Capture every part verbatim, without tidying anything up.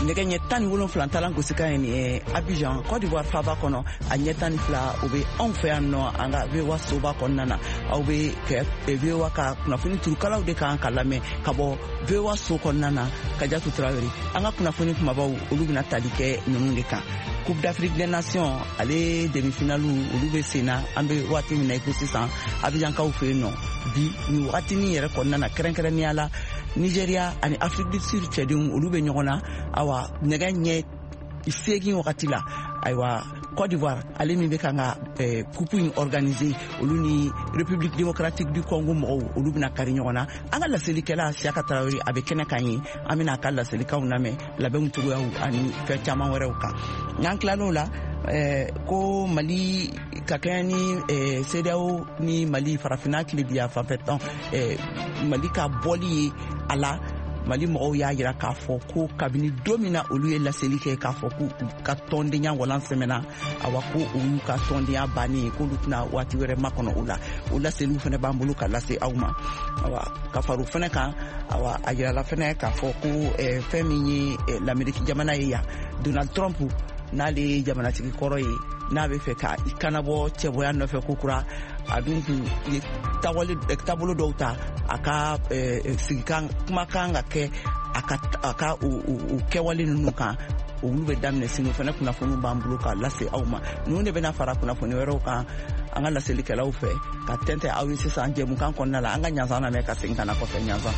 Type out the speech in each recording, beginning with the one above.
Nɛgɛ ɲɛ tan ni wolonfila talan gosikan ye nin ye Abidjan, Côte d'Ivoire faaba kɔnɔ. A ɲɛ tan ni fila o bɛ anw fɛ yan nɔ, an ka V O A soba kɔnɔna na. Aw bɛ kɛ V O A ka kunnafoni turukalaw de kan ka lamɛn ka bɔ V O A so kɔnɔna na. Kajatu Tarawele, an ka kunnafoni kumabaw, olu bɛna tali kɛ ninnu de kan: Coupe d'Afrique des Nations, ale demi-finale, olu bɛ sen na an bɛ waati min na i ko sisan Abidjankaw fɛ yen nɔ bi nin wagatinin yɛrɛ kɔnɔna na. Kɛrɛnkɛrɛnnenya la, Nigeria ani Afrique du Sud cɛdenw, olu bɛ ɲɔgɔn na. Awa, nɛgɛ ɲɛ seegin wagati la, ayiwa, Côte d'Ivoire, ale min bɛ kan ka eh, coupe in organiser, olu ni République démocratique du Congo mɔgɔw, olu bɛna kari ɲɔgɔn na. An ka laselikɛla Siyaka Tarawele, a bɛ kɛnɛ kan ye. An bɛna a ka laselikanw lamɛn labɛnw cogoyaw ani fɛn caman wɛrɛw kan. N'an tilal'o la, eh, ko Mali ka kɛɲɛ ni eh, CEDEAO ni Mali farafinna tilebiya fanfɛ tɔn, eh, Mali ka bɔli ye a la, Mali mɔgɔw y'a yira k'a fɔ ko kabini don min na olu ye laseli kɛ k'a fɔ ko u ka tɔndenya walan sɛmɛna, awa, ko o y'u ka tɔndenya bannen ye, k'olu tɛna waati wɛrɛ makɔnɔ o la. O laseliw fɛnɛ b'an bolo ka lase aw ma. Awa, ka fara o fɛnɛ kan, awa, a yirala fɛnɛ k'a fɔ ko eh, fɛn min ye eh, Lameriki jamana ye yan, Donald Trump, n'ale ye jamanatigi kɔrɔ ye, n'a bɛ fɛ ka i kanabɔ cɛbɔya nɔfɛ ko kura, a dun kun ye taabolo dɔw ta a ka sigikan kumakan ka kɛ a ka a ka o kɛwale ninnu kan, olu bɛ daminɛ sini. O fana kunnafoniw b'an bolo ka lase aw ma. Ninnu de bɛna fara kunnafoni wɛrɛw kan an ka laselikɛlaw fɛ ka tɛntɛn aw ye sisan jɛmukan kɔnɔna la. An ka ɲansan lamɛn ka segin ka na kɔfɛ. Ɲansan.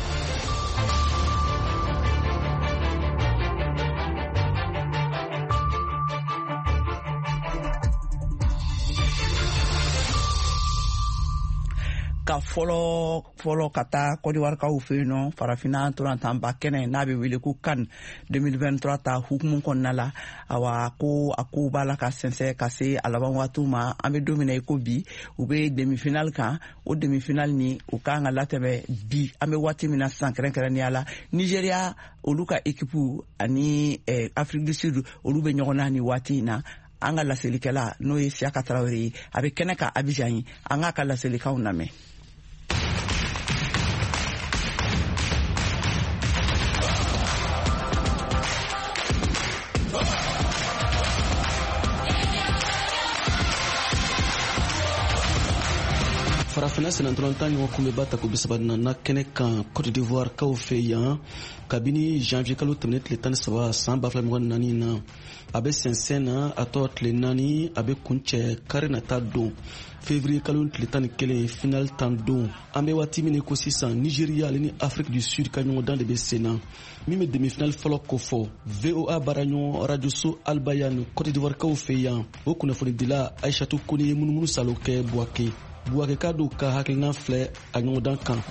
Ka fɔlɔ fɔlɔ ka taa Kɔdiwarikaw fɛ yen nɔ, farafinna ntolantanba kɛnɛ n'a bɛ wele ko CAN deux mille vingt-trois ta hukumu kɔnɔna la, awa, ko a kow b'a la ka sɛnsɛn ka se a laban waatiw ma. An bɛ don min na i ko bi, u bɛ demi-finale kan. O demi-finale ni o kan ka latɛmɛ bi an bɛ waati min na sisan. Kɛrɛnkɛrɛnnenya la, Nigeria, olu ka équipe ani eh, Afrique du Sud, olu bɛ ɲɔgɔn na nin waati in na. An ka laselikɛla, n'o ye Siyaka Tarawele ye, a bɛ kɛnɛ kan Abidjan ye. An k'a ka laselikanw lamɛn. Farafinna sennantolatan ɲɔgɔn kunbɛba tako bisaba nana kɛnɛ kan Cote d'Ivoire kaw fɛ yan kabini janvier kalo tɛmɛnen tile tan ni saba san ba fila mugan naani na. A bɛ sɛnsɛn na, a tɔ tile naani, a bɛ kuncɛ kari nata don, février kalo tile tan ni kelen, final tan don. An bɛ waati min ko sisan, Nigeria ale ni Afrique du Sud ka ɲɔgɔndan de bɛ sen na, min bɛ demi-finale fɔlɔ kofɔ. V O A baaraɲɔgɔn rajoso Albayan Cote d'Ivoire kaw fɛ yan, o kunnafonidila Aishatu Kone ye munumunu salo kɛ Buwake. Buwakeka dɔw ka hakilina filɛ a ɲɔgɔndan kan.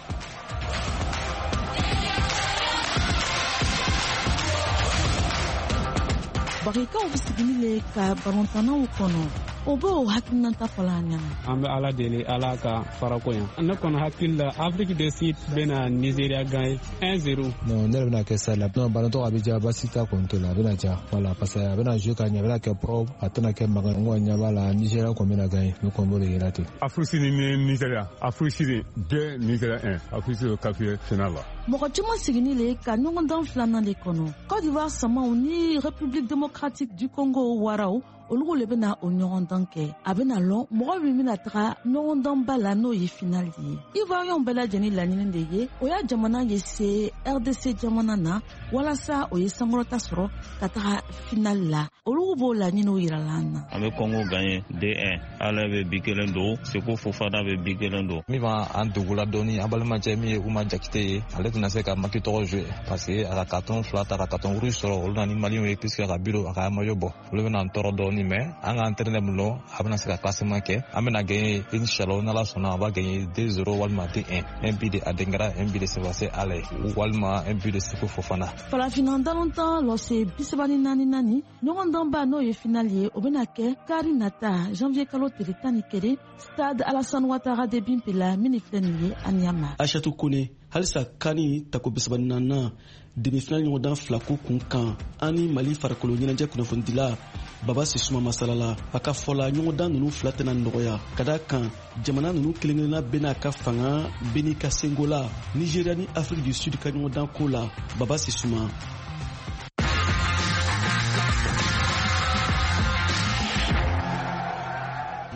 Bagikaw bɛ sigini le ka balontannaw kɔnɔ, o b'o hakilinata fɔla an ɲɛna. An bɛ Ala deli, Ala ka farako yan. Ne kɔni hakili la, Afrique du Sud bɛna Nigeria gagner un zéro. Non, ne yɛrɛ bɛna kɛ stade la. Non, ballon a bɛ diya, basi t'a kɔni to la, a bɛna diya. Voilà, parce que a bɛna jouer ka ɲɛ, a bɛna kɛ propre, a tɛna kɛ mankan. N kɔni ɲɛ b'a la, Nigeria kɔni bɛna gagner, ne kɔni b'o de yira ten. Afrique ni Nigeria, Afrique Sud deux, Nigeria un. Afrique Sud qualifié finale la. Mɔgɔ caman sigini le ka ɲɔgɔndan filanan de kɔnɔ. Côte d'Ivoire samaw ni République démocratique du Congo waraw, olugu le bɛna o ɲɔgɔndan kɛ. A bɛna lɔn mɔgɔ min bɛna taga ɲɔgɔndanba la, n'o ye finale ye. Ivoiriyɛnw bɛɛ lajɛlen laɲini de ye o y'a jamana ye se R D C jamana na walasa o ye sankɔrɔta sɔrɔ ka taga finale la. Olugu b'o laɲiniw yirala an na. An bɛ Congo gagné deux un. Ala bɛ bi kelen don, Seko Fofana bɛ bi kelen don. Min b'an dugula dɔɔni, an balimacɛ min ye Uma Jakite ye, ale tɛna se ka maki tɔgɔ jouer parce que a ka carton fila ta, ka carton rouge sɔrɔ. Olu na ni Maliyɛnw ye puisque a ka biro a ka maillot bɔ, olu bɛna an tɔɔrɔ dɔɔni. Mais an ka entraîneur min lɔ, a bɛna se ka classement kɛ. An bɛna gagner inchallah, n'Ala sɔnna, a b'a gagner deux zéro walima deux un, un but de Adengara, un but de Sebastien Haller walima un but de Seko Fofana. Farafinna balontan lɔse bisaba ni naani naani ɲɔgɔndanba, n'o ye finale ye, o bɛna kɛ kari nata janvier kalo tile tan ni kelen, stade Alassane Ouattara d'Ebimpe la min filɛ nin ye Anyama. Aishatu Kone, halisa CAN tako bisaba ni naaninan demi-finale ɲɔgɔndan fila ko kun kan, an ni Mali farikolo ɲɛnajɛ kunnafonidila Baba Sisuma masalala. A ka fɔ la, ɲɔgɔndan nunu fila tɛna nɔgɔya ka da kan jamana nunu kelen-kelenna bɛɛ n'a ka fanga, bɛɛ n'i ka sengo la. Nigeria ni Afrique du Sud ka ɲɔgɔndan ko la, Baba Sisuma.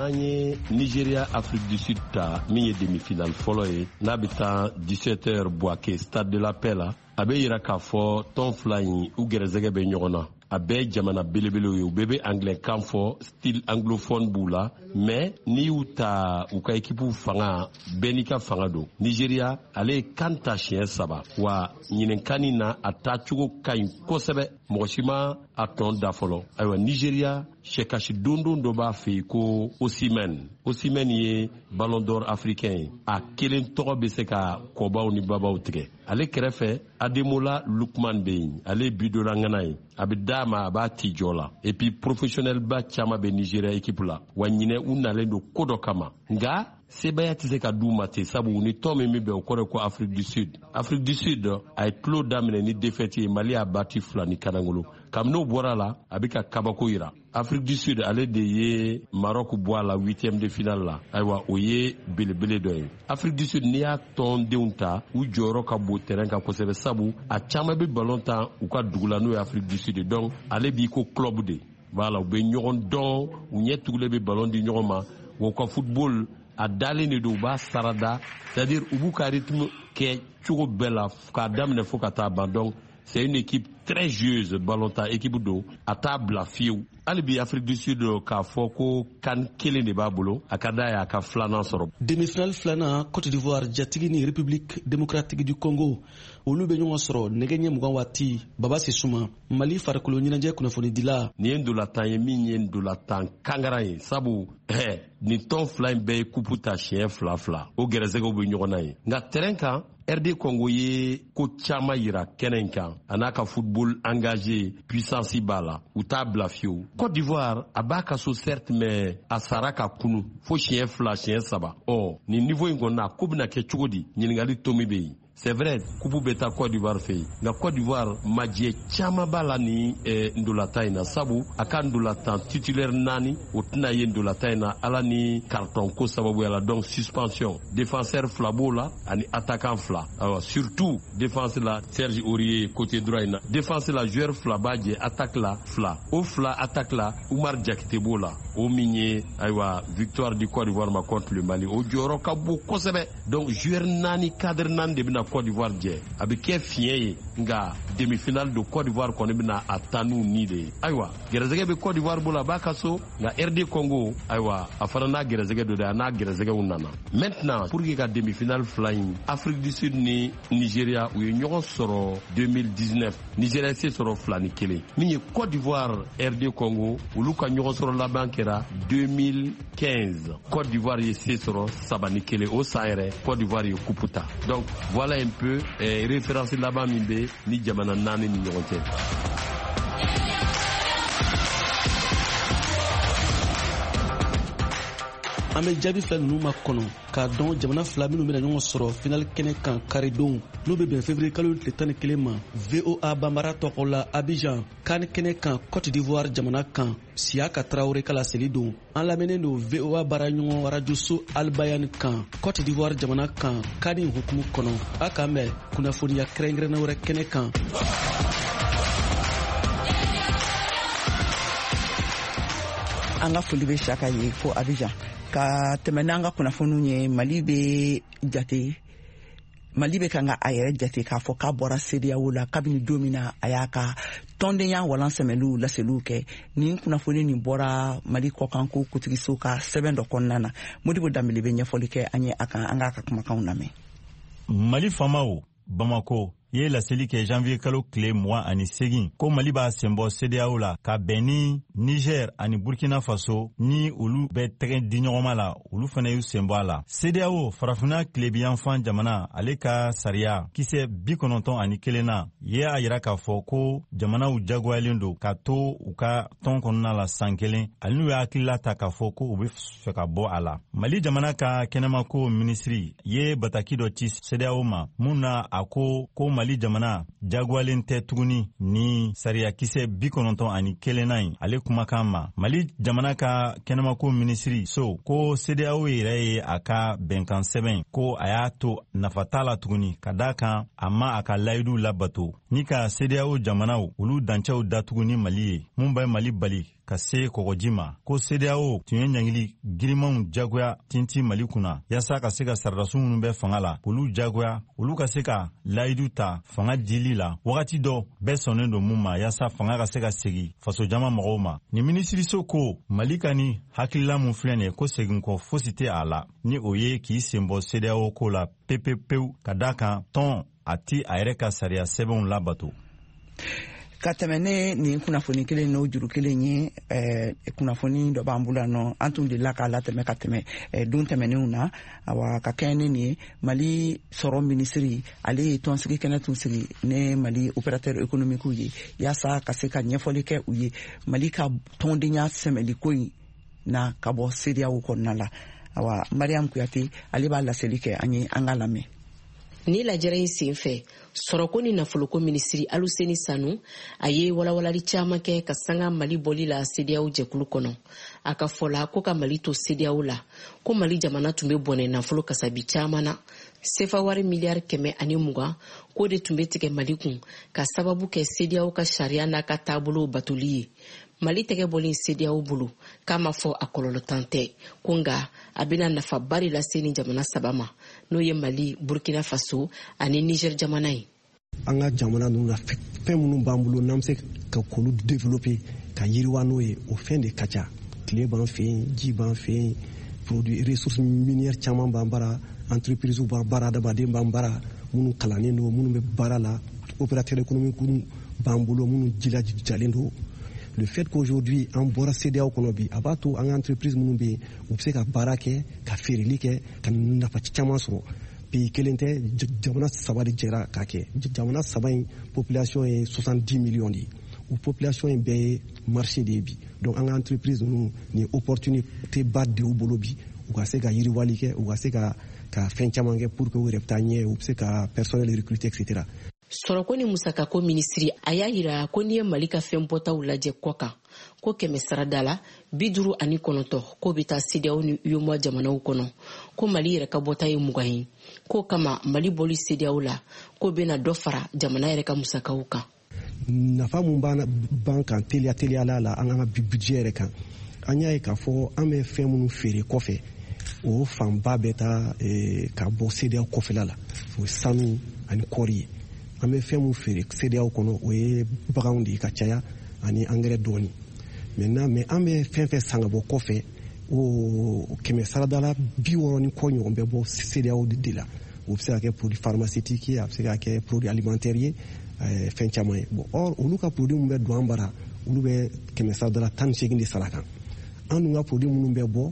N'an ye Nigeria Afrique du Sud ta min ye demi-finale fɔlɔ ye, n'a bɛ taa dix-sept heures Bouaké Stade de la Paix la, a bɛ yira k'a fɔ tɔn fila in u gɛrɛsɛgɛ bɛ ɲɔgɔn na. A bɛɛ jamana belebelew ye, u bɛɛ bɛ anglais kan fɔ, style anglophone b'u la, mais n'i y'u ta u ka équipe fanga, bɛɛ n'i ka fanga don. Nigeria ale ye kan ta siɲɛ saba, wa ɲininkani na a taacogo ka ɲi kosɛbɛ, mɔgɔ si ma a tɔn da fɔlɔ. Ayiwa, Nigeria sɛkasi dondon dɔ b'a fɛ yen ko Osimhen. Osimhen ye Ballon d'Or africain ye, a kelen tɔgɔ bɛ se ka kɔbaw ni babaw tigɛ. Ale kɛrɛfɛ Ademola Lookman bɛ yen, ale ye bidonna ŋana ye, a bɛ d'a ma a b'a ti jɔ la. Et puis professionnel ba caman bɛ Nigeria équipe la, wa ɲinɛ u nalen don ko dɔ kama, nka sebaya tɛ se ka d'u ma ten, sabu ni tɔn min bɛ bɛn o kɔrɔ ko Afrique du Sud. Afrique du Sud a ye tulo daminɛ ni défaite ye, Mali y'a bati fila ni kanangolo. Kabini n'o bɔra la, a bɛ ka kabako yira. Afrique du Sud ale de ye Maroc bɔ a la huitième de finale la, ayiwa o ye belebele dɔ ye. Afrique du Sud n'i y'a tɔndenw ta, u jɔyɔrɔ ka bon terrain kan kosɛbɛ, sabu a caman bɛ ballon tan u ka dugu la n'o ye Afrique du Sud. Donc ale b'i ko club de, voilà, u bɛ ɲɔgɔn dɔn, u ɲɛ tugulen bɛ ballon di ɲɔgɔn ma, wa u ka football a dalen de don, u b'a sarada, c'est-à-dire u b'u ka rythme kɛ cogo bɛɛ la k'a daminɛ fo ka taa ban. Donc c'est une équipe très joueuse, ballon ta équipe don, a t'a bila fiyewu. Hali bi Afrique du Sud k'a fɔ ko kan kelen de b'a bolo, a ka d'a ye a ka filanan sɔrɔ. Demi-finale filanan, Côte d'Ivoire jatigi ni République démocratique du Congo olu bɛ ɲɔgɔn sɔrɔ nɛgɛ ɲɛ mugan waati. Baba Sisuma, Mali farikolo ɲɛnajɛ kunnafonidila. Nin ye ndolatan ye min ye ndolatan kangaran ye, sabu hɛ nin tɔn fila in bɛɛ ye kupu ta siɲɛ fila fila, o gɛrɛsɛgɛw bɛ ɲɔgɔn na ye. Nka terrain kan, R D Congo ye ko caman yira kɛnɛ in kan, a n'a ka football engagé, puissance b'a la, u t'a bila fiyewu. Côte d'Ivoire a b'a ka so certes, mais a sara ka kunu fo siɲɛ fila siɲɛ saba. Ɔ nin niveau in kɔni na, ko bɛna kɛ cogo di? Ɲininkali tomi bɛ yen. C'est vrai, kupu bɛ taa Côte d'Ivoire fɛ yen, nka Côte d'Ivoire majɛ caman b'a la ni eh, ndolatan in na, sabu a ka ndolatan titulaire naani o tɛna ye ndolatan in na ala ni carton ko sababuya la, donc suspension. Défenseur fila b'o la ani attaquant fila. Ayiwa, surtout défense la, Serge Aurier côté droit in na, défense la joueur fila b'a jɛ, attaque la fila, o fila attaque la Oumar Diakité b'o la, o min ye ayiwa victoire du Côte d'Ivoire ma contre le Mali, o jɔyɔrɔ ka bon kosɛbɛ. Donc joueur naani, cadre naani de bɛna Côte d'Ivoire jɛ, a bɛ kɛ fiɲɛ ye, nka demi-finale don, Côte d'Ivoire kɔni bɛna a taa n'u ni de ye. Ayiwa, gɛrɛsɛgɛ bɛ Côte d'Ivoire bolo, a b'a ka so, nka R D Congo ayiwa a fana n'a gɛrɛsɛgɛ don dɛ, a n'a gɛrɛsɛgɛw nana. Maintenant pour que ka demi-finale fila in, Afrique du Sud ni Nigeria u ye ɲɔgɔn sɔrɔ deux mille dix-neuf, Nigeria se sɔrɔ fila ni kelen. Min ye Côte d'Ivoire R D Congo olu ka ɲɔgɔn sɔrɔ laban kɛra deux mille quinze, Côte d'Ivoire ye se sɔrɔ saba ni kelen, o san yɛrɛ Côte d'Ivoire ye coupe ta. Donc voilà un peu eh, référence laban min bɛ ni jamana naani ni ɲɔgɔn cɛ. An bɛ jaabi fila ninnu ma kɔnɔ k'a dɔn jamana fila minnu bɛna ɲɔgɔn sɔrɔ final kɛnɛ kan karidon, n'o bɛ bɛn février kalo tile tan ni kelen ma. V O A Banbara tɔgɔ la Abidjan kan kɛnɛ kan Côte d'Ivoire jamana kan, Siyaka Traoré ka laseli don. An lamɛnnen don V O A baaraɲɔgɔn rajoso Albayan kan Côte d'Ivoire jamana kan kani hukumu kɔnɔ. A k'an bɛn kunnafoniya kɛrɛnkɛrɛnnen wɛrɛ kɛnɛ kan. An ka foli bɛ Siyaka ye fo Abidjan. Ka tɛmɛ n'an ka kunnafoniw ye, Mali bɛ jate, Mali bɛ kan ka a yɛrɛ jate k'a fɔ k'a bɔra CEDEAO la kabini don min na a y'a ka tɔndenya walan sɛmɛliw laseliw kɛ. Nin kunnafoni nin bɔra Mali kɔkanko kuntigiso ka sɛbɛn dɔ kɔnɔna na. Modibo Danbele bɛ ɲɛfɔli kɛ an ye a kan, an k'a ka kumakanw lamɛn. Mali faamaw Bamako ye laseli kɛ janvier kalo tile mugan ani segin ko Mali b'a senbɔ CEDEAO la ka bɛn ni Niger ani Burkina Faso ni olu bɛ tɛgɛ di ɲɔgɔnma la, olu fana y'u senbɔ a la. CEDEAO farafinna tilebiyanfan jamana ale ka sariya kisɛ bi kɔnɔntɔn ani kelen na ye a yira k'a fɔ ko jamanaw jagoyalen don ka to u ka tɔn kɔnɔna la san kelen ani n'u ye hakilila ta k'a fɔ ko u bɛ fɛ ka bɔ a la. Mali jamana ka kɛnɛmako minisiri ye bataki dɔ ci CEDEAO ma mun na a ko ko Mali jamana jagoyalen tɛ tuguni ni sariyakisɛ bi kɔnɔntɔn ani kelenna in ale kumakan ma. Mali jamana ka kɛnɛmako minisiri so ko CEDEAO yɛrɛ ye a ka bɛnkan sɛbɛn ko a y'a to nafa t'a la tuguni ka d'a kan a ma a ka layidu labato ni ka CEDEAO jamanaw olu dancɛw datugu ni Mali ye mun bɛ Mali bali ka se kɔgɔji ma, ko CEDEAO tun ye ɲangili girimanw jagoya tintin Mali kunna yaasa ka se ka saradasiw minnu bɛ fanga la olu jagoya, olu ka se ka layidu ta fanga dili la wagati dɔ bɛɛ sɔnnen don mun ma, yaasa fanga ka se ka segi fasojama mɔgɔw ma. Nin minisiriso ko Mali ka ni hakilila mun filɛ nin ye, ko seginkɔ fosi tɛ a la, ni o ye k'i sen bɔ CEDEAO ko la pepepewu, ka da kan tɔn a ti a yɛrɛ ka sariya sɛbɛnw labato. Ka tɛmɛ ne nin kunnafoni kelen n'o juru kelen ye, eh, kunnafoni dɔ b'an bolo nɔ, an tun delila k'a latɛmɛ ka tɛmɛ eh, don tɛmɛnenw na. Awa, ka kɛɲɛ ni nin ye, Mali sɔrɔ minisiri ale ye tɔnsigi kɛnɛ tun sigi ne Mali opérateur économique ye, yaasa ka se ka ɲɛfɔli kɛ u ye Mali ka tɔndenya sɛmɛliko in na ka bɔ CEDEAO kɔnɔna la. Awa, Mariam Kuyate ale b'a laseli kɛ an ye, an ka lamɛn. Ni lajɛrɛ in sen fɛ, sɔrɔko ni nafoloko minisiri Aluseni Sanu a ye walawalali caaman kɛ ka sanga Mali bɔli la CEDEAO jɛkulu kɔnɔ. A ka fɔ la ko ka Mali to CEDEAO la, ko Mali jamana tun bɛ bɔnɛ nafolo kasabi caaman na, sefa wari miliyari kɛmɛ ani mugan k'o de tun bɛ tigɛ Mali kun ka sababu kɛ CEDEAO ka sariya n'a ka taabolow batoli ye. Mali tɛgɛ bɔlen CEDEAO bolo k'a ma fɔ a kɔlɔlɔtan tɛ, ko nka a bɛna nafaba de lase ni jamana saba ma, n'o ye Mali, Burkina Faso ani Niger jamana ye. An ka jamana ninnu na, fɛn minnu b'an bolo n'an bɛ se ka k'olu développer ka yiriwa n'o ye, o fɛn de ka ca. Tile b'an fɛ yen, ji b'an fɛ yen, produit ressources minières caman b'an bara, entreprise b'an bara, adamaden b'an bara minnu kalannen don, minnu bɛ baara la, opérateur économique b'an bolo minnu jilajalen don. Le fait qu'aujourd'hui an bɔra CEDEAO kɔnɔ bi, a b'a to an ka entreprise minnu bɛ yen, u bɛ se ka baara kɛ, ka feereli kɛ, ka nafa caman sɔrɔ. Pays kelen tɛ, jamana saba de jɛra k'a kɛ. Jamana saba in population ye soixante-dix millions de ye. O population in bɛɛ ye marché de ye bi. Donc an ka entreprise ninnu, nin opportunité ba de y'u bolo bi, u ka se ka yiriwali kɛ, u ka se ka ka fɛn caman kɛ pour que u yɛrɛ bɛ taa ɲɛ, u bɛ se ka personnel recruter, et cetera. Sɔrɔko ni musakako minisiri a y'a yira ko n'i ye Mali ka fɛn bɔtaw lajɛ kɔ kan, ko kɛmɛ sarada la bi duuru ani kɔnɔntɔ k'o bɛ taa CEDEAO ni UEMOA jamanaw kɔnɔ, ko Mali yɛrɛ ka bɔta ye mugan ye, k'o kama Mali bɔli CEDEAO la k'o bɛna dɔ fara jamana yɛrɛ ka musakaw kan. Nafa mun b'an kan teliya teliyala la an ka budget yɛrɛ kan, an y'a ye k'a fɔ an bɛ fɛn minnu feere kɔfɛ, o fanba bɛ taa ka bɔ CEDEAO kɔfɛla la, o ye sanu ani kɔɔri ye. An bɛ fɛn mun feere CEDEAO kɔnɔ, o ye baganw de ye ka caya ani angɛrɛ dɔɔni. Maintenant, mais an bɛ fɛn fɛn san ka bɔ kɔfɛ, o kɛmɛ saradala bi wɔɔrɔ ni kɔ ɲɔgɔn bɛ bɔ CEDEAO de la. O bɛ se ka kɛ produit pharmaceutique ye, a bɛ se ka kɛ produit alimentaire ye, fɛn caman ye. Bon, or olu ka produit mun bɛ don an bara, olu bɛ kɛmɛ saradala tan ni seegin de sara kan. An dun ka produit minnu bɛ bɔ,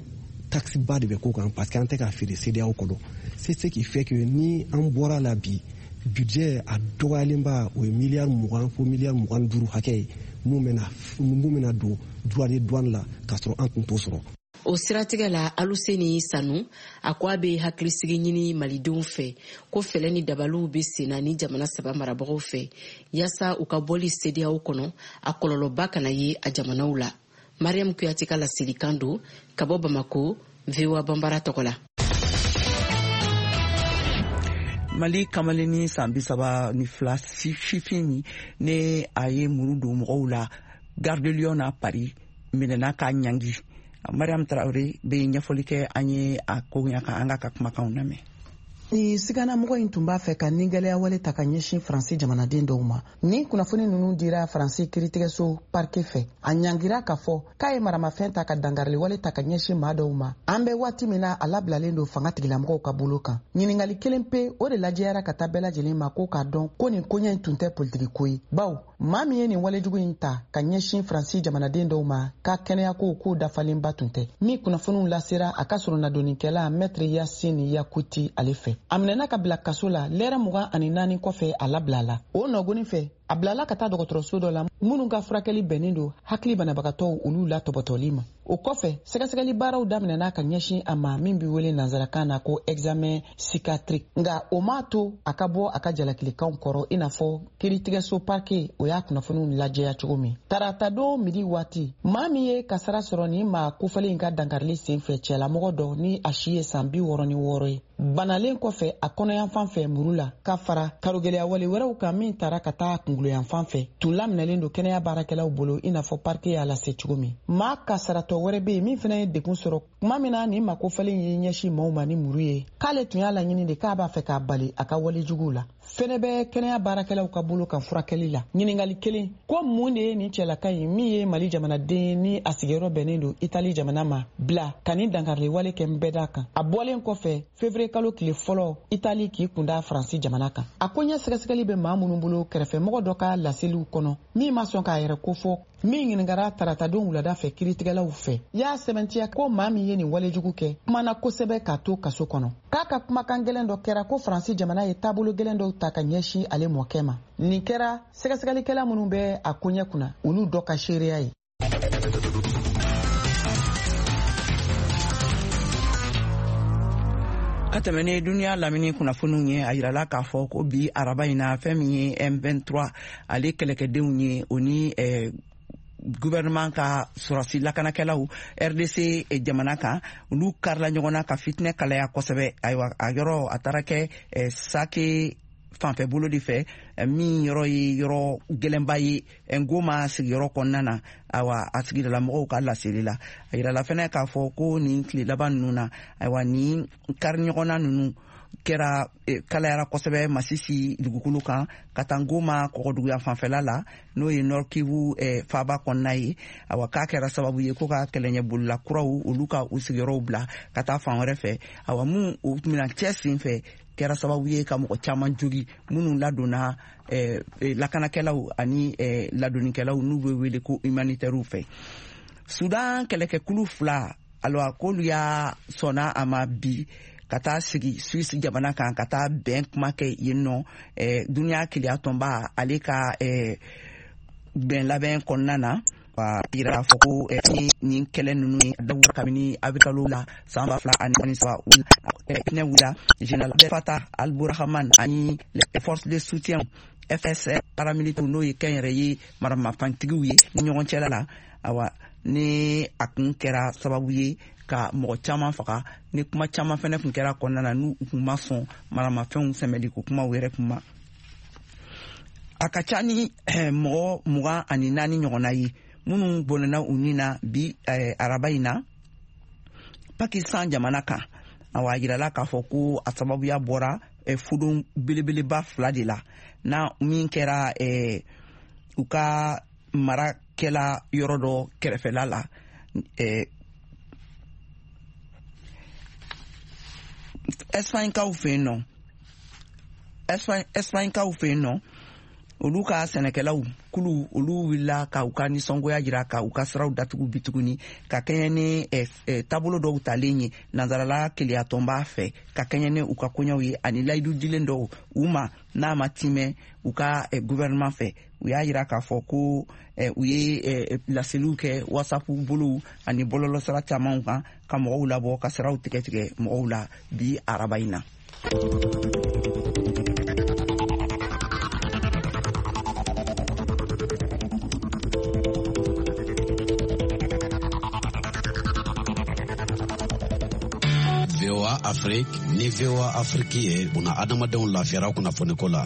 taxe ba de bɛ k'o kan parce que an tɛ k'a feere CEDEAO kɔnɔ. C'est ce qui fait que ni an bɔra la bi, budget a dɔgɔyalenba o ye miliyari mugan fo miliyari mugan duuru hakɛ ye mun bɛna mun bɛna don droit de douane la k'a sɔrɔ an tun t'o sɔrɔ. O siratigɛ la, Aluseni Sanu a ko a bɛ hakilisigi ɲini malidenw fɛ ko fɛlɛ ni dabaliw bɛ senna ni jamana saba marabagaw fɛ yaasa u ka bɔli CEDEAO kɔnɔ a kɔlɔlɔba kana ye a jamanaw la. Mariam Kuyate ka laselikan don ka bɔ Bamako, V O A Banbara tɔgɔ la. Mali kamalennin san bi saba ni fila sifin ne a ye muru don mɔgɔw la Gare de Lyon na Paris, minɛna k'a ɲangi. Mariam Traoré bɛ ɲɛfɔli kɛ an ye a ko ɲɛ kan, an k'a ka kumakanw lamɛn. Ni siganamɔgɔ in tun b'a fɛ ka nigɛlɛya wale ta ka ɲɛsin Faransi jamanaden dɔw ma. Ni kunnafoni ninnu dira Faransi kiiritigɛso parquet fɛ, a ɲangira k'a fɔ k'a ye maramafɛn ta ka dangarili wale ta ka ɲɛsin maa dɔw ma. An bɛ waati min na, a labilalen don fanga tigilamɔgɔw ka bolo kan. Ɲininkali kelen pe o de lajɛyara ka taa bɛɛ lajɛlen ma, ko k'a dɔn ko nin koɲɛ in tun tɛ politiki ko ye, bawo maa min ye nin walejugu in ta ka ɲɛsin Faransi jamanaden dɔw ma, k'a kɛnɛyako k'o dafalenba tun tɛ. Min kunnafoniw lasera a ka sɔrɔnadonikɛla Maître Yasine Yakuti ale fɛ. A minɛna ka bila kaso la lɛrɛ mugan ani naani kɔfɛ, a labila la. O nɔgɔnin fɛ, a bilala ka taa dɔgɔtɔrɔso dɔ la minnu ka furakɛli bɛnnen don hakili banabagatɔw olu la tɔbɔtɔli ma. O kɔfɛ, sɛgɛsɛgɛli baaraw daminɛna ka ɲɛsin a ma min bɛ wele nansarakan na ko examen psychiatrique. Nka o m'a to a ka bɔ a ka jalakilikanw kɔrɔ, i n'a fɔ kiiritigɛso parquet o y'a kunnafoniw lajɛya cogo min. Taratadon midi waati, maa min ye kasara sɔrɔ nin maa kofɔlen in ka dankarili senfɛ, cɛlamɔgɔ dɔ ni a si ye san bi wɔɔrɔ ni wɔɔrɔ ye, banalen kɔfɛ a kɔnɔyanfan fɛ muru la, ka fara karogɛlɛya wale wɛrɛw kan min taara ka taa kungolo kunkolo yanfan fɛ tun laminɛlen don kɛnɛya baarakɛlaw bolo i n'a fɔ parquet y'a lase cogo min. Maa kasaratɔ wɛrɛ bɛ yen min fana ye degun sɔrɔ tuma min na nin makofalen y'i ɲɛsin maaw ma ni muru ye, k'ale tun y'a laɲini de k'a b'a fɛ k'a bali a ka walejuguw la. Fɛnɛ bɛ kɛnɛya baarakɛlaw ka bolo kan furakɛli la. Ɲininkali kelen ko mun de ye nin cɛlaka in min ye Mali jamanaden ye ni a sigiyɔrɔ bɛnnen don Itali jamana ma bila ka nin dankariliwale kɛ nbɛda kan? A bɔlen kɔfɛ février kalo tile fɔlɔ Itali k'i kunda Faransi jamana kan. A ko ɲɛ sɛgɛsɛgɛli bɛ maa minnu bolo kɛrɛfɛmɔgɔ dɔ ka laseliw kɔnɔ min ma sɔn k'a yɛrɛ kofɔ, min ɲininkara taratadon wulada fɛ kiiritigɛlaw fɛ, y'a sɛbɛntiya ko maa min ye nin walejugu kɛ kumana kosɛbɛ k'a to kaso kɔnɔ. K'a ka kumakan gɛlɛn dɔ kɛra ko Faransi jamana ye taabolo gɛlɛn dɔw ta ka ɲɛsin ale mɔkɛ ma. Nin kɛra sɛgɛsɛgɛlikɛla minnu bɛ a koɲɛ kunna olu dɔ ka seereya ye. Ka tɛmɛ ni duniya lamini kunnafoniw ye, a yirala k'a fɔ ko bi araba in na fɛn min ye M vingt-trois ale kɛlɛkɛdenw ye, o ni eh, gouvernement ka sɔrɔsi lakanakɛlaw R D C jamana kan, olu karila ɲɔgɔn na ka fitinɛ kalaya kosɛbɛ. Ayiwa, a yɔrɔ a taara kɛ eh, Sake fanfɛ bolo de fɛ, min yɔrɔ ye yɔrɔ gɛlɛnba ye Ngoma sigiyɔrɔ kɔnɔna na. Ayiwa, a sigidala mɔgɔw ka laseli la, a yirala fɛnɛ k'a fɔ ko nin tile laban ninnu na, ayiwa, nin kari ɲɔgɔnna ninnu kɛra kalayara kosɛbɛ Masisi dugukolo kan ka taa Ngoma kɔgɔduguya fanfɛla la, n'o ye Nord Kivu eh, faaba kɔnɔna ye. Awa, k'a kɛra sababu ye ko ka kɛlɛɲɛbolila kuraw olu ka u sigiyɔrɔw bila ka taa fan wɛrɛ fɛ. Awa, mun o minan cɛ sen fɛ kɛra sababu ye ka mɔgɔ caman jogi minnu ladonna eh, lakanakɛlaw ani eh, ladonnikɛlaw n'u bɛ wele ko humanitaires fɛ. Sudan kɛlɛkɛkulu fila, alwa k'olu y'a sɔnna a ma bi ka taa sigi Suisse jamana kan ka taa bɛn kuma kɛ yen nɔ, eh, duniya keleya tɔnba ale ka eh, bɛn labɛn kɔnɔna na. A yira k'a fɔ ko eh, nin kɛlɛ ninnu ye dawu kabini avril kalo la san ba fila ani saba ne wulila général Fatah al-Burhan ani les forces de soutien F S R paramilitaire n'o ye kɛnyɛrɛye maramafɛntigiw ye ni ɲɔgɔn cɛla la. Awa, ni a kun kɛra sababu ye ka mɔgɔ caman faga, ni kuma caman fɛnɛ kun kɛra kɔnɔna na n'u kun ma sɔn maramafɛnw sɛmɛli ko kumaw yɛrɛ kun ma. A ka ca ni mɔgɔ mugan ani naani ɲɔgɔnna ye minnu bɔnɛna u ni na bi eh, araba in na Pakistan jamana kan. Awa, a yirala k'a fɔ ko a sababuya bɔra eh, fudon belebeleba fila de la, na min kɛra eh, u ka marakɛla yɔrɔ dɔ kɛrɛfɛla la. Eh, Espagnekaw fɛ yen nɔ, Espagnekaw fɛ yen nɔ, olu ka sɛnɛkɛlaw kulu olu wulila ka u ka nisɔngoya jira ka u ka siraw datugu bi tuguni ka kɛɲɛ ni eh, eh, taabolo dɔw talen ye nansarala keleyatɔnba fɛ, ka kɛɲɛ ni u ka koɲɛw ye ani layidu dilen dɔw u ma n'a ma timɛ u ka eh, gouvernement fɛ. U y'a yira k'a fɔ ko eh, u ye eh, laseliw kɛ WhatsApp bolow ani bɔlɔlɔsira camanw kan ka mɔgɔw labɔ ka siraw tigɛ tigɛ mɔgɔw la bi araba in na. V O A Afrique ni V O A Afrique ye buna adamadenw lafiyara kunnafoniko la.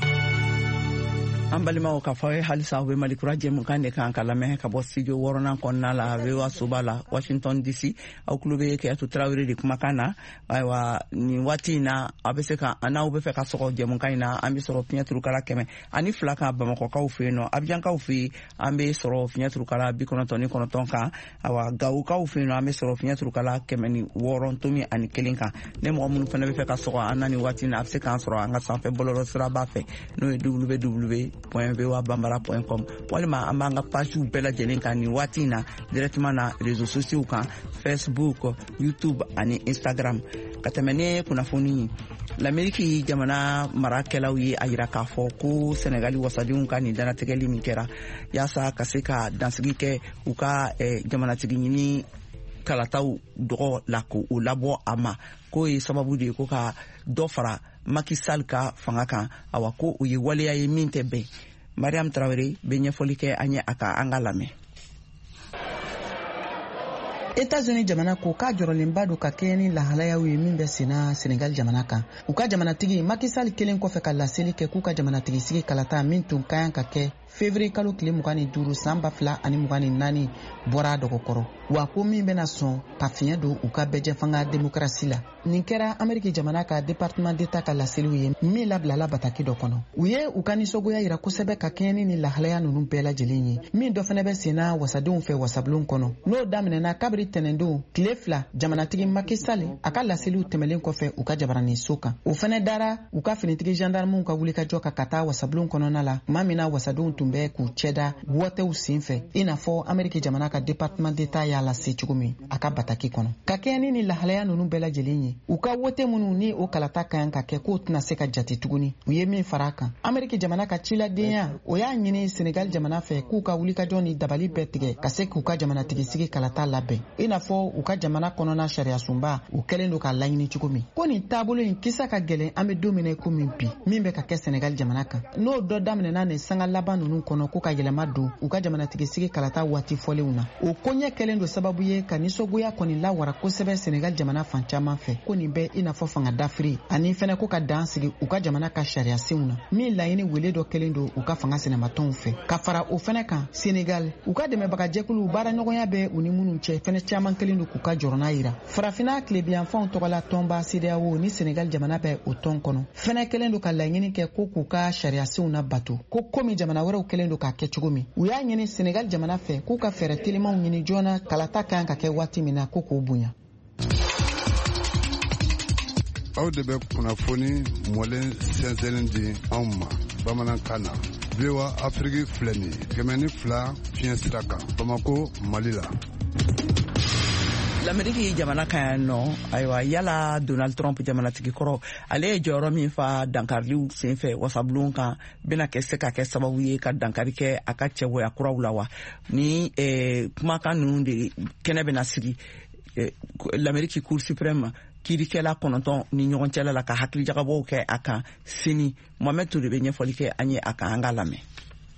An balimaw, k'a fɔ aw ye halisa aw bɛ Mali kura jɛmukan de kan ka lamɛn ka bɔ studio wɔɔrɔnan kɔnɔna la V O A soba la Washington D C. Aw tulo bɛ Keyatu Tarawele de kumakan na. Ayiwa, nin waati in na aw bɛ se ka n'aw bɛ fɛ ka sɔgɔ jɛmukan in na, an bɛ sɔrɔ fiɲɛturukala kɛmɛ ani fila kan Bamakɔkaw fɛ yen nɔ, Abijankaw fɛ yen an bɛ sɔrɔ fiɲɛturukala bi kɔnɔntɔn ni kɔnɔntɔn kan. Ayiwa, Gawokaw fɛ yen nɔ an bɛ sɔrɔ fiɲɛturukala kɛmɛ ni wɔɔrɔ tomi ani kelen kan. Ne mɔgɔ minnu fana bɛ fɛ ka sɔgɔ an na nin waati in na, a bɛ se k'an sɔrɔ an ka sanfɛ bɔlɔlɔ siraba fɛ, n'o ye w w w point v o a bambara point com, walima an b'an ka pagew bɛɛ lajɛlen kan nin waati in na directement na réseaux sociaux kan, Facebook, YouTube ani Instagram. Ka tɛmɛ ni kunnafoni ye, l'Amérique jamana marakɛlaw ye a yira k'a fɔ ko Senegali wasadenw ka nin dannatigɛli min kɛra yaasa ka se ka dansigi kɛ u ka eh, jamanatigi ɲini kalataw dɔgɔ la k'o labɔ a ma, k'o ye sababu de ye ko ka dɔ fara Macky Sall ka fanga kan. Awa, ko o ye waleya ye min tɛ bɛn. Mariam Traoré bɛ ɲɛfɔli kɛ an ye a ka an ka lamɛn. États-Unis jamana ko k'a jɔrɔlenba don ka kɛɲɛ ni lahalayaw ye min bɛ senna Senegal jamana kan. U ka jamanatigi Macky Sall kelen kɔfɛ ka laseli kɛ k'u ka jamanatigi sigi kalata min tun ka kan ka kɛ Février kalo tile mugan ni duuru san ba fila ani mugan ni naani bɔra a dɔgɔkɔrɔ, wa ko min bɛna sɔn ka fiɲɛ don u ka bɛɛjɛfanga demokarasi la. Nin kɛra Ameriki jamana ka département d'État ka laseliw ye min labilala bataki dɔ kɔnɔ. U ye u ka nisɔngoya yira kosɛbɛ ka kɛɲɛ ni nin lahalaya ninnu bɛɛ lajɛlen ye, min dɔ fɛnɛ bɛ senna wasadenw fɛ wasabulon kɔnɔ. N'o daminɛna kabiri tɛnɛndon tile fila jamanatigi Macky Sall a ka laseliw tɛmɛlen kɔfɛ u ka jabaraninso kan. O fɛnɛ dara u ka finitigi gendarmew ka wulikajɔ kan ka taa wasabulon kɔnɔna la, tuma min na wasadenw tun bɛ k'u cɛda wɔtɛw sen fɛ, i n'a fɔ Ameriki jamana ka département d'État y'a lase cogo min a ka bataki kɔnɔ. Ka kɛɲɛ ni nin lahalaya ninnu bɛɛ lajɛlen ye, u ka wote minnu ni o kalata ka kan ka kɛ k'o tɛna se ka jate tuguni. U ye min fara a kan, Ameriki jamana ka ciladenya o y'a ɲini Senegal jamana fɛ k'u ka wulikajɔ ni dabali bɛɛ tigɛ ka se k'u ka jamanatigisigi kalata labɛn, i n'a fɔ u ka jamana kɔnɔna sariyasunba u kɛlen don k'a laɲini cogo min. Ko nin taabolo in kisa ka gɛlɛn an bɛ don min na i komi bi, min bɛ ka kɛ Senegal jamana kan, n'o dɔ daminɛna nin sanga laban ninnu kɔnɔ ko ka yɛlɛma don u ka jamanatigisigi kalata waati fɔlenw na. O koɲɛ kɛlen don sababu ye ka nisɔngoya kɔni lawara kosɛbɛ Senegal jamana fan caman fɛ, ko nin bɛ i n'a fɔ fanga dafiri ani fɛnɛ ko ka dan sigi u ka jamana ka sariyasenw na, min laɲini wele dɔ kɛlen don u ka fanga sinamatɔnw fɛ. Ka fara o fɛnɛ kan, Senegal u ka dɛmɛbagajɛkuluw baaraɲɔgɔnya bɛ u ni minnu cɛ fɛnɛ caman kɛlen don k'u ka jɔrɔna yira. Farafinna tilebiyanfanw tɔgɔla tɔnba CEDEAO ni Senegal jamana bɛ o tɔn kɔnɔ fɛnɛ kɛlen don ka laɲini kɛ ko k'u ka sariyasenw na bato, ko komi jamana wɛrɛw kɛlen don k'a kɛ cogo min. U y'a ɲini Senegal jamana fɛ k'u ka fɛɛrɛ telimanw ɲini joona kalata kan ka kɛ waati min na ko k'o bonya. Aw de bɛ kunnafoni mɔlen sɛnsɛnlen di anw ma bamanankan na. V O A Afrique filɛ nin ye kɛmɛ ni fila fiɲɛ sira kan Bamako, Mali la. L'Amérique jamana kan yan nɔ, ayiwa, yala Donald Trump jamanatigi kɔrɔ, ale ye jɔyɔrɔ min fa dankariliw senfɛ wasabulon kan, bɛna kɛ se ka kɛ sababu ye ka dankari kɛ a ka cɛbɔya kuraw la wa? Ni eh, kumakan ninnu de kɛnɛ bɛna sigi eh, l'Amérique Cour suprême kiirikɛla kɔnɔntɔn ni ɲɔgɔn cɛla la ka hakilijagabɔw kɛ a kan sini. Mohamed Toure bɛ ɲɛfɔli kɛ an ye a kan, an k'a lamɛn.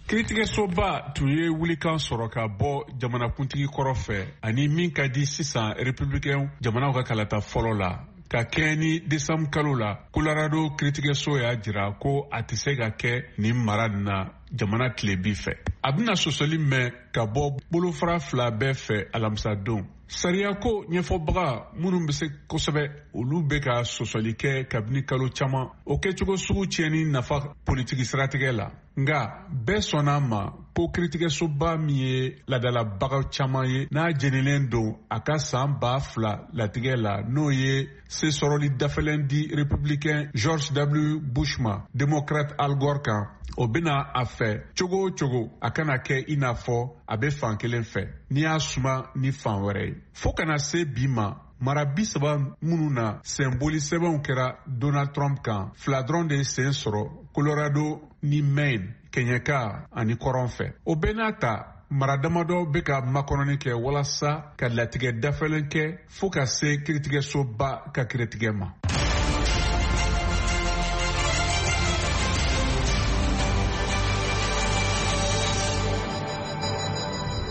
Kiiritigɛsoba tun ye wulikan sɔrɔ ka bɔ jamanakuntigi kɔrɔ fɛ ani min ka di sisan républicain jamanaw ka kalata fɔlɔ la. Ka kɛɲɛ ni décembre kalo la, Colorado kiiritigɛso y'a jira ko a tɛ se ka kɛ nin mara nin na jamana tilebin fɛ. A bɛna sɔsɔli mɛn ka bɔ bolofara fila bɛɛ fɛ alamisadon. Sariyako ɲɛfɔbaga minnu bɛ se kosɛbɛ, olu bɛ ka sɔsɔli kɛ kabini kalo caman, o kɛcogo sugu tiɲɛni nafa politiki siratigɛ la. Nka bɛɛ sɔnna a ma ko kiiritigɛsoba min ye laadalabaga caman ye, n'a jenilen don a ka san ba fila latigɛ la, n'o ye sesɔrɔli dafalen di républicain George W. Bush ma démocrate Al Gore kan, o bɛna a fɛ cogo o cogo a kana kɛ i n'a fɔ a bɛ fan kelen fɛ n'i y'a suma ni fan wɛrɛ ye. Fo kana se bi ma, mara bi saba minnu na senboli sɛbɛnw kɛra Donald Trump kan, fila dɔrɔn de ye sen sɔrɔ, Colorado ni Maine, kɛɲɛka ani kɔrɔn fɛ. O bɛɛ n'a ta, mara damadɔ bɛ ka makɔnɔni kɛ walasa ka latigɛ dafalen kɛ fo ka se kiiritigɛsoba ka kiiritigɛ ma.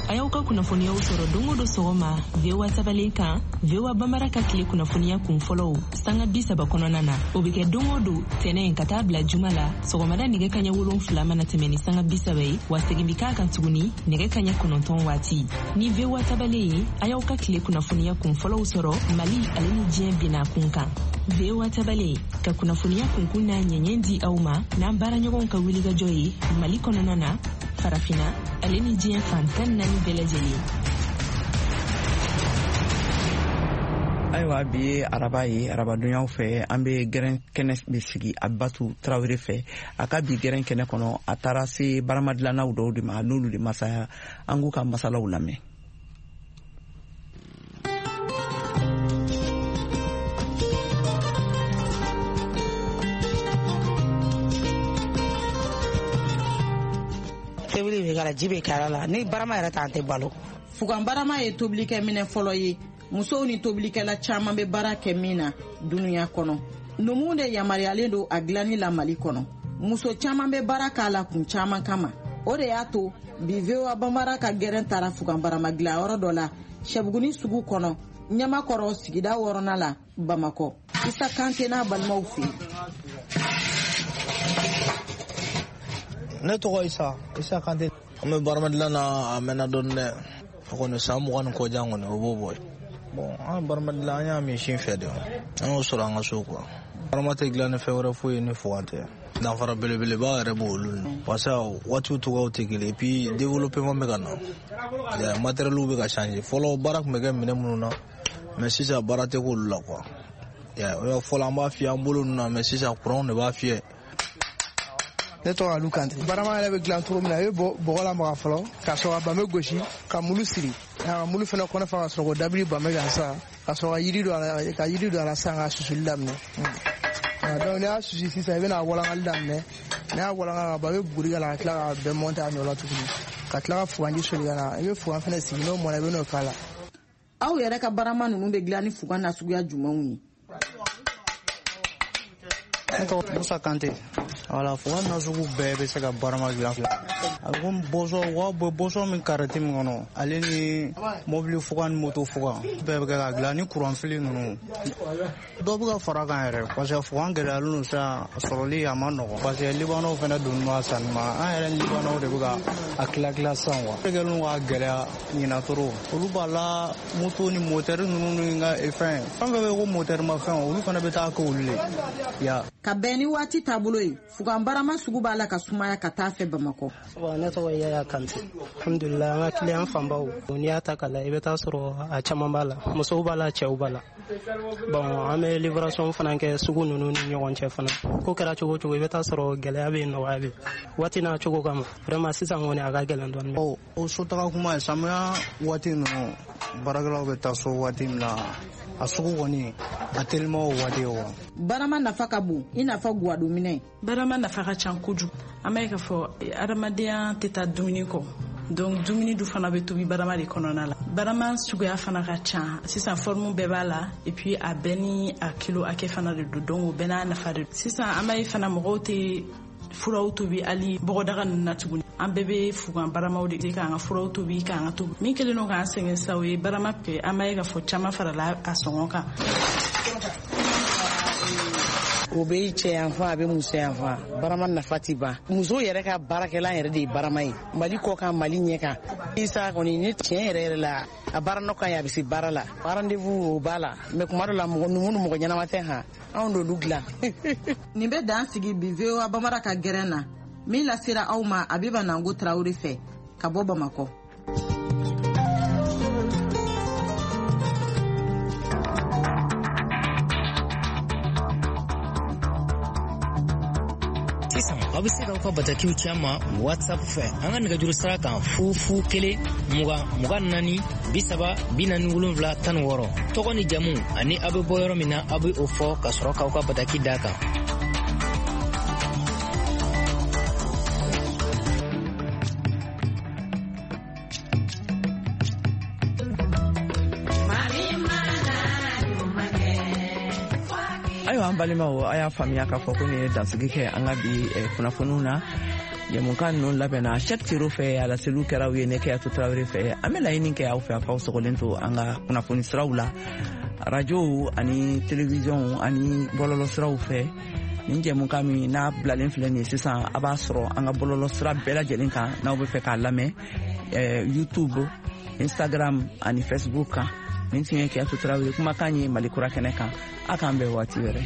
A y'aw ka kunnafoniyaw sɔrɔ don o don sɔgɔma V O A tabalen kan, V O A Bambara ka tile kunnafoniya kun fɔlɔw sanga bi saba kɔnɔna na. O bɛ kɛ don o don tɛnɛn ka taa bila juma la sɔgɔmada nɛgɛ kaɲɛ wolonfila mana tɛmɛ ni sanga bi saba ye, wa segin bɛ k'a kan tuguni nɛgɛ kaɲɛ kɔnɔntɔn waati. Ni V O A tabalen ye, a y'aw ka tile kunnafoniya kun fɔlɔw sɔrɔ Mali ale ni diɲɛ binna kun kan. V O A tabalen ka kunnafoniya kunkun n'a ɲɛɲɛ di aw ma n'an baaraɲɔgɔnw ka wulikajɔ ye Mali kɔnɔna na, Farafina ale ni diɲɛ fan tan naani bɛɛ lajɛlen. Ayiwa, bi ye araba ye, arabadonyaw fɛ an bɛ gɛrɛn kɛnɛ bɛ sigi Abibatu Tarawele fɛ. A ka bi gɛrɛn kɛnɛ kɔnɔ, a taara se baramadilannaw dɔw de ma, n'olu de masaya, an k'u ka masalaw lamɛn. Tobili bɛ k'a la, ji bɛ k'a la, ni barama yɛrɛ t'an tɛ balo. Fugan barama ye tobilikɛ minɛ fɔlɔ ye, musow ni tobilikɛla caman bɛ baara kɛ min na dunuya kɔnɔ. Numuw de yamaruyalen don a dilanni la Mali kɔnɔ. Muso caman bɛ baara k'a la kun caman kama. O de y'a to bi V O A Bambara ka gɛrɛn taara fugan barama dilanyɔrɔ dɔ la Sɛbuguni sugu kɔnɔ, Ɲamakɔrɔ sigida wɔɔrɔnan la, Bamakɔ. Isa Kante n'a balimaw fɛ yen. Ne tɔgɔ Isa, Isa Kante. An bɛ barama dilan na a mɛnna dɔɔni dɛ. O kɔni san mugan ni kɔ jan kɔni o b'o bɔ. Bon, an barama dilan an y'a min sin fɛ de. An y'o sɔrɔ an ka so quoi. Barama tɛ dilan ni fɛn wɛrɛ foyi ye ni fugan tɛ. Danfara belebeleba yɛrɛ b'olu ni. Parce que waatiw cogoyaw tɛ kelen et puis développement bɛ ka na. Matériel bɛ ka changer. Fɔlɔ baara tun bɛ kɛ minɛn minnu na mais sisan baara tɛ k'olu la quoi. Fɔlɔ an b'a fiyɛ an bolo ninnu na mais sisan courant de b'a fiyɛ. Ne tɔgɔ Alu Kante. Barama yɛrɛ bɛ dilan cogo min na, i bɛ bɔgɔ lamaga fɔlɔ ka sɔrɔ ka bame gosi ka mulu siri ka mulu fana kɔnɔ fa ka sɔrɔ k'o dabiri bame kan sisan ka sɔrɔ ka yiri don a la ka yiri don a la sisan ka susuli daminɛ. Donc n'i y'a susu sisan i bɛna walankali daminɛ, n'i y'a walanka ka ban i bɛ buguri k'a la ka tila k'a bɛɛ mɔntɛ a nɔ la tuguni ka tila ka fuganji soli ka na, i bɛ fugan fana sigi n'o mɔna i bɛ n'o k'a la. Aw yɛrɛ ka barama ninnu bɛ dilan ni fugan nasuguya jumɛnw ye? Ne tɔgɔ Musa Kante. Wala fugan nasugu bɛɛ bɛ se ka barama dilan. A bɛ komi bɔsɔn, u b'a bɔ bɔsɔn min kariti min kɔnɔ, ale ni mobili fugan ni moto fugan bɛɛ bɛ kɛ ka dilan ni kuranfili ninnu. Dɔ bɛ ka fara a kan yɛrɛ parce que fugan gɛlɛyalen don sisan, sɔrɔli a ma nɔgɔn parce que libanɛw fana donni ma sanni ma, an yɛrɛ ni libanɛw de bɛ ka a tila tila sisan quoi. Kɛlen don k'a gɛlɛya ɲinan trop, olu b'a la moto ni motɛri ninnu ni ka fɛn fɛn fɛn bɛ ko motɛri ma fɛn, olu fana bɛ taa kɛ olu le ya. Ka bɛn ni waati taabolo ye, fugan barama sugu b'a la ka sumaya ka taa fɛ Bamakɔ. Ne tɔgɔ Yaya Kante. Alhamdulillah, an ka client fanbaw n'i y'a ta k'a lajɛ i bɛ taa sɔrɔ a caman b'a la, musow b'a la, cɛw b'a la. Bon, an bɛ livraison fana kɛ sugu ninnu ni ɲɔgɔn cɛ fana. Ko kɛra cogo o cogo i bɛ taa sɔrɔ gɛlɛya bɛ yen, nɔgɔya bɛ yen. Waati n'a cogo kama vraiment sisan kɔni a ka gɛlɛn dɔɔnin. O o sotaga kuma ye samiya waati ninnu baarakɛlaw bɛ taa so waati min na, a sugu kɔni a telima o waati ye wa. Barama nafa ka bon i n'a fɔ guwadominɛ. Barama nafa ka ca kojugu. An b'a ye k'a fɔ adamadenya tɛ taa dumuni kɔ. Donc dumuni du fana bɛ tobi barama de kɔnɔna la. Barama suguya fana ka ca. Sisan forme bɛɛ b'a la et puis a bɛɛ ni a kilo hakɛ fana de don, donc o bɛɛ n'a nafa de don. Sisan an b'a ye fana mɔgɔw tɛ furaw tobi hali bɔgɔdaga ninnu na tuguni. An bɛɛ bɛ fugan baramaw de k'an ka furaw tobi k'an ka tobi. Min kɛlen don k'an sɛgɛn sisan o ye barama kɛ, an b'a ye k'a fɔ caman farala a sɔngɔ kan. O bɛ cɛ yanfan a bɛ muso yanfan, barama nafa ti ban. Muso yɛrɛ ka baarakɛlan yɛrɛ de ye barama ye, Mali kɔ kan Mali ɲɛ kan. Isa kɔni ni tiɲɛ yɛrɛ yɛrɛ la a baara nɔ ka ɲi, a bɛ se baara la. Rendez-vous o b'a la mais kuma dɔ la mɔgɔ numu ni mɔgɔ ɲɛnama tɛ han, anw d'olu dilan. Nin bɛ dan sigi bi V O A Bambara ka gɛrɛn na min lasera aw ma Abiba Nango Tarawele fɛ ka bɔ Bamakɔ. Aw bɛ se k'aw ka batakiw ci an ma WhatsApp fɛ an ka nɛgɛjuru sira kan fu fu kelen mugan mugan naani bi saba bi naani wolonwula tan ni wɔɔrɔ tɔgɔ ni jamu ani aw bɛ bɔ yɔrɔ min na aw bɛ o fɔ ka sɔrɔ k'aw ka bataki d'a kan. Ayiwa an balimaw, a y'a faamuya k'a fɔ ko nin ye dansigi kɛ an ka bi kunnafoniw na. Jɛmukan ninnu labɛnna Cheick Tero fɛ, a laseliw kɛra aw ye ne Keyatu Tarawele fɛ. An bɛ laɲini kɛ aw fɛ a k'aw sɔgɔlen to an ka kunnafoni siraw la, arajow ani télévision ani bɔlɔlɔ siraw fɛ. Nin jɛmukan min n'a bilalen filɛ nin ye sisan, a b'a sɔrɔ an ka bɔlɔlɔ sira bɛɛ lajɛlen kan n'aw bɛ fɛ k'a lamɛn, YouTube, Instagram ani Facebook kan. Nin tun ye Keyatu Tarawele kumakan ye Mali Kura kɛnɛ kan. A k'an bɛn waati wɛrɛ.